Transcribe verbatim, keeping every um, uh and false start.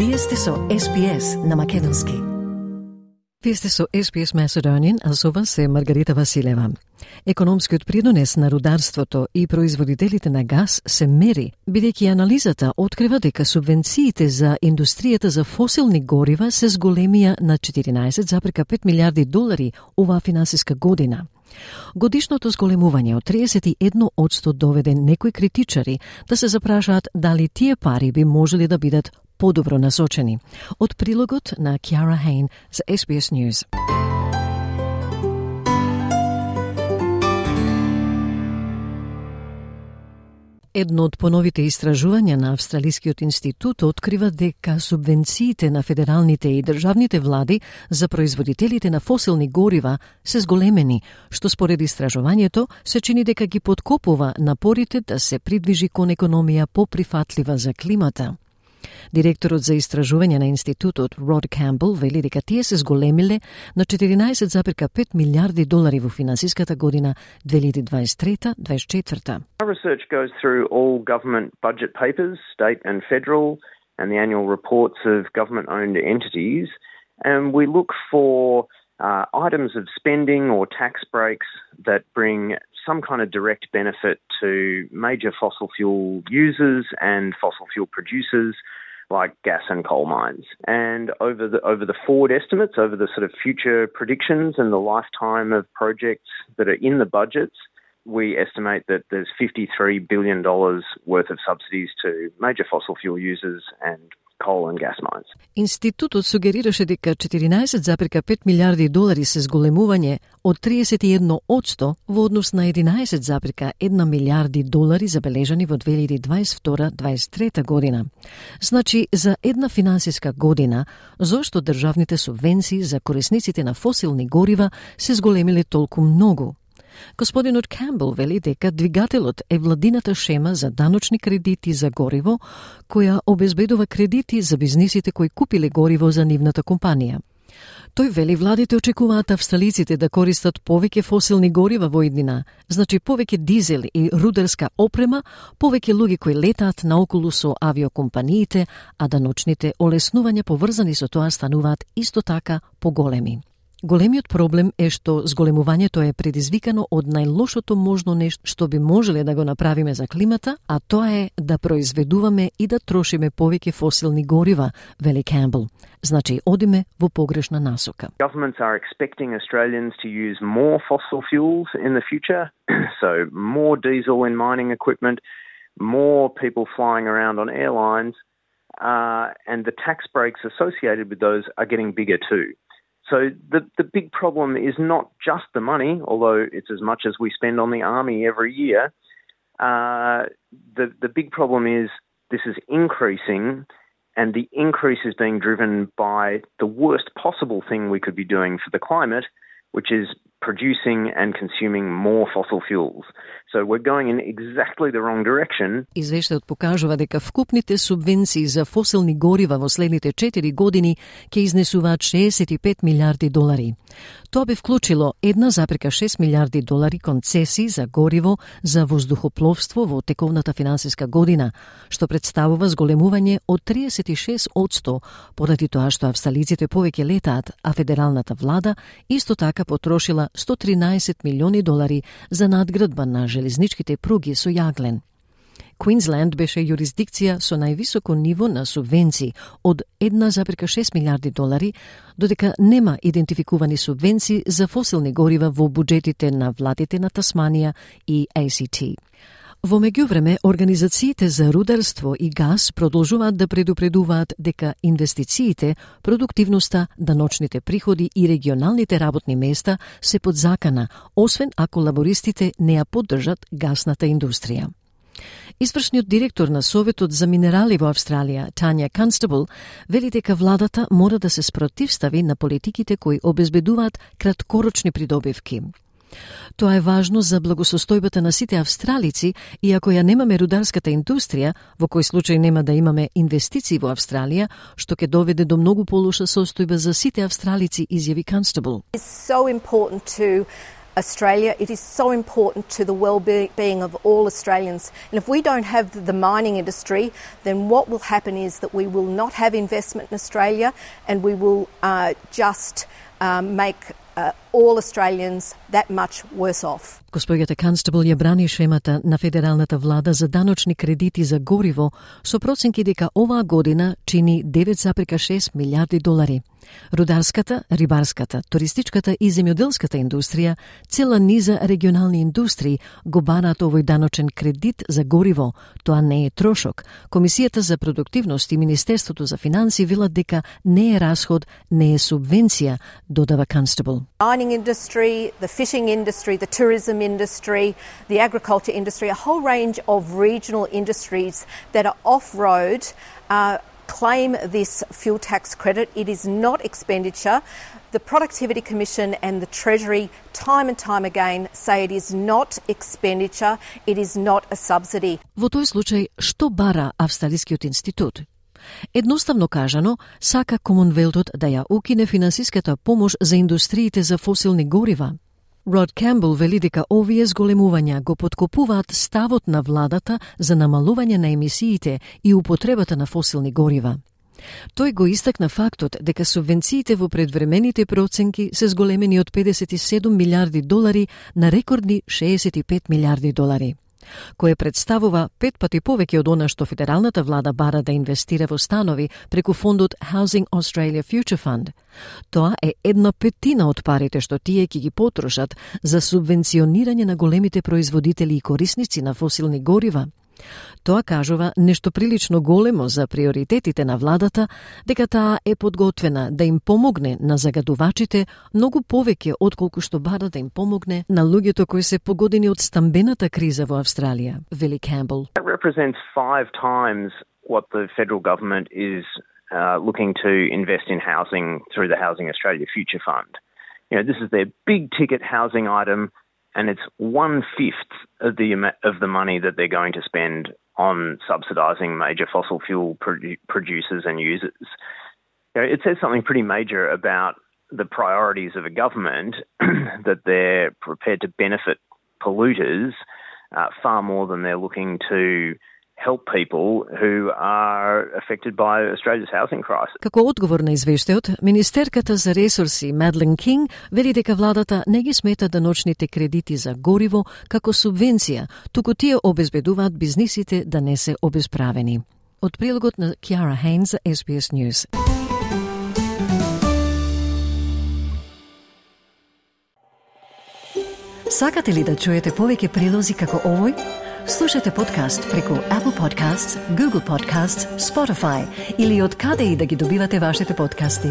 Вие сте со Ес Би Ес на македонски. Вие сте со Ес Би Ес Macedonian, а со вас е Маргарита Василева. Економскиот придонес на рударството и производителите на газ се мери, бидејќи анализата открива дека субвенциите за индустријата за фосилни горива се зголемија на четиринаесет зарез пет милиарди долари оваа финансиска година. Годишното зголемување од триесет и едно одсто доведе некои критичари да се запрашаат дали тие пари би можели да бидат подобро насочени. Од прилогот на Кјара Хейн за Ес Би Ес News. Едно од поновите истражувања на Австралискиот институт открива дека субвенциите на федералните и државните влади за производителите на фосилни горива се зголемени, што според истражувањето се чини дека ги подкопува напорите да се придвижи кон економија поприфатлива за климата. Директорот за истражување на институтот Род Камбел вели дека тие се зголемиле на четиринаесет зарез пет милиарди долари во финансиската година две илјади дваесет и трета дваесет и четврта. Our research goes through all government budget papers, state and federal, and the annual reports of government-owned entities, and we look for uh, items of spending or tax breaks that bring some kind of direct benefit to major fossil fuel users and fossil fuel producers like gas and coal mines. And over the over the forward estimates, over the sort of future predictions and the lifetime of projects that are in the budgets, we estimate that there's fifty-three billion dollars worth of subsidies to major fossil fuel users and coal and gas mines. Институтот сугерираше дека четиринаесет зарез пет милиарди долари се зголемување од триесет и едно одсто во однос на единаесет зарез една милиарди долари забележани во две илјади дваесет и втора дваесет и трета година. Значи, за една финансиска година, зошто државните субвенции за корисниците на фосилни горива се зголемиле толку многу? Господинот Камбел вели дека двигателот е владината шема за даночни кредити за гориво, која обезбедува кредити за бизнисите кои купиле гориво за нивната компанија. Тој вели владите очекуваат австралиците да користат повеќе фосилни горива во иднина, значи повеќе дизел и рударска опрема, повеќе луѓе кои летаат наоколу со авиокомпаниите, а даночните олеснувања поврзани со тоа стануваат исто така поголеми. Големиот проблем е што зголемувањето е предизвикано од најлошото можно нешто што би можеле да го направиме за климата, а тоа е да произведуваме и да трошиме повеќе фосилни горива, вели Камбел. Значи, одиме во погрешна насока. Governments are expecting Australians to use more fossil fuels in the future, so more diesel in mining equipment, more people flying around on airlines, uh, and the tax breaks associated with those are getting bigger too. So the the big problem is not just the money, although it's as much as we spend on the army every year. Uh, the the big problem is this is increasing, and the increase is being driven by the worst possible thing we could be doing for the climate, which is producing and consuming more fossil fuels. So we're going in exactly the wrong direction. Извештајот покажува дека вкупните субвенции за фосилни горива во следните четири години ќе изнесуваат шеесет и пет милиарди долари. Тоа би вклучило една зарез шест милиарди долари концесии за гориво за воздухопловство во тековната финансиска година, што представува зголемување од триесет и шест одсто, поради тоа што австралиците повеќе летаат, а федералната влада исто така потрошила сто тринаесет милиони долари за надградба на железничките пруги со јаглен. Квинсленд беше јурисдикција со највисоко ниво на субвенции од една зарез шест милиарди долари, додека нема идентификувани субвенции за фосилни горива во буџетите на владите на Тасманија и Ей Си Ти. Во меѓувреме, организациите за рударство и газ продолжуваат да предупредуваат дека инвестициите, продуктивноста, даночните приходи и регионалните работни места се под закана, освен ако лабористите не ја поддржат гасната индустрија. Извршниот директор на Советот за минерали во Австралија, Тања Констабл, вели дека владата мора да се спротивстави на политиките кои обезбедуваат краткорочни придобивки. Тоа е важно за благосостојбата на сите австралици и ако ја немаме рударската индустрија, во кој случај нема да имаме инвестиции во Австралија, што ќе доведе до многу полоша состојба за сите австралици, изјави Констабл. It's so important to Australia. It is so important to the well-being of all Australians. And if we don't have the mining industry, then what will happen is that we will not have investment in Australia, and we will uh, just um, make uh, all Australians that much worse off. Госпоѓата Констабл ја брани шемата на федералната влада за даночни кредити за гориво со проценки дека оваа година чини девет зарем шест милиарди долари. Рударската, рибарската, туристичката и земјоделската индустрија, цела низа регионални индустрии го бараат овој даночен кредит за гориво. Тоа не е трошок. Комисијата за продуктивност и Министерството за финансии велат дека не е расход, не е субвенција, додава Констабл. Mining industry, the fishing industry, the tourism industry, the agriculture industry, a whole range of regional industries that are off-road uh, claim this fuel tax credit. It is not expenditure. The Productivity Commission and the Treasury time and time again say it is not expenditure, it is not a subsidy. Во тој случај, што бара Австралискиот институт? Едноставно кажано, сака Комонвелтот да ја укине финансиската помош за индустриите за фосилни горива. Род Кембл вели дека овие зголемувања го поткопуваат ставот на владата за намалување на емисиите и употребата на фосилни горива. Тој го истакна фактот дека субвенциите во предвремените проценки се зголемени од педесет и седум милиарди долари на рекордни шеесет и пет милиарди долари, кое представува пет пати повеќе од она што федералната влада бара да инвестира во станови преку фондот Housing Australia Future Fund. Тоа е една петина од парите што тие ќе ги потрошат за субвенционирање на големите производители и корисници на фосилни горива. Тоа кажува нешто прилично големо за приоритетите на владата, дека таа е подготвена да им помогне на загадувачите многу повеќе отколку што бара да им помогне на луѓето кои се погодени од стамбената криза во Австралија, вели Кембл. That represents five times what the federal government is uh, looking to invest in housing through the Housing Australia Future Fund. You know, this is their big ticket housing item, and it's one-fifth of the of the money that they're going to spend on subsidising major fossil fuel produ- producers and users. You know, it says something pretty major about the priorities of a government that they're prepared to benefit polluters uh, far more than they're looking to help people who are affected by Australia's housing crisis. Како одговор на извештајот, Министерката за ресурси Мадлен Кинг вели дека владата не ги смета даночните кредити за гориво како субвенција, туку тие обезбедуваат бизнисите да не се обесправени. Од прилогот на Кјара Хейнс за Ес Би Ес News. Сакате ли да чуете повеќе прилози како овој? Слушате подкаст преку Apple Podcasts, Google Podcasts, Spotify или од каде и да ги добивате вашите подкасти.